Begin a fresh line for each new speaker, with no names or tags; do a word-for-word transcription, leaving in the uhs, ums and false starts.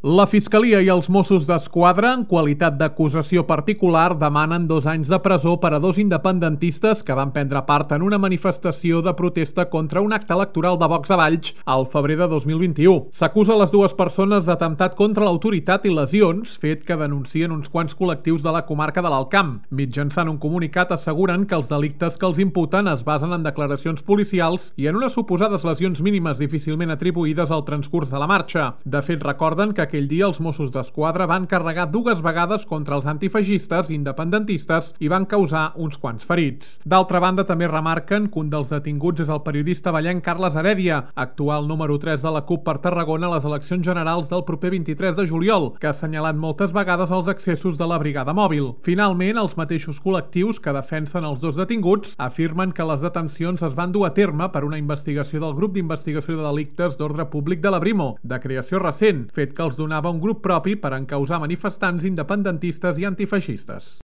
La Fiscalia i els Mossos d'Esquadra, en qualitat d'acusació particular, demanen dos anys de presó per a dos independentistes que van prendre part en una manifestació de protesta contra un acte electoral de Vox a Valls al febrer de dos mil vint-i-u. S'acusa les dues persones d'atemptat contra l'autoritat i lesions, fet que denuncien uns quants col·lectius de la comarca de l'Alt Camp. Mitjançant un comunicat asseguren que els delictes que els imputen es basen en declaracions policials i en unes suposades lesions mínimes difícilment atribuïdes al transcurs de la marxa. De fet, recorden que aquell dia els Mossos d'Esquadra van carregar dues vegades contra els antifeixistes independentistes i van causar uns quants ferits. D'altra banda, també remarquen que un dels detinguts és el periodista vallenc Carles Heredia, actual número tres de la CUP per Tarragona a les eleccions generals del proper vint-i-tres de juliol, que ha assenyalat moltes vegades els excessos de la brigada mòbil. Finalment, els mateixos col·lectius que defensen els dos detinguts afirmen que les detencions es van dur a terme per una investigació del Grup d'Investigació de Delictes d'Ordre Públic de la Brimo, de creació recent, fet que els donava un grup propi per encausar manifestants independentistes i antifeixistes.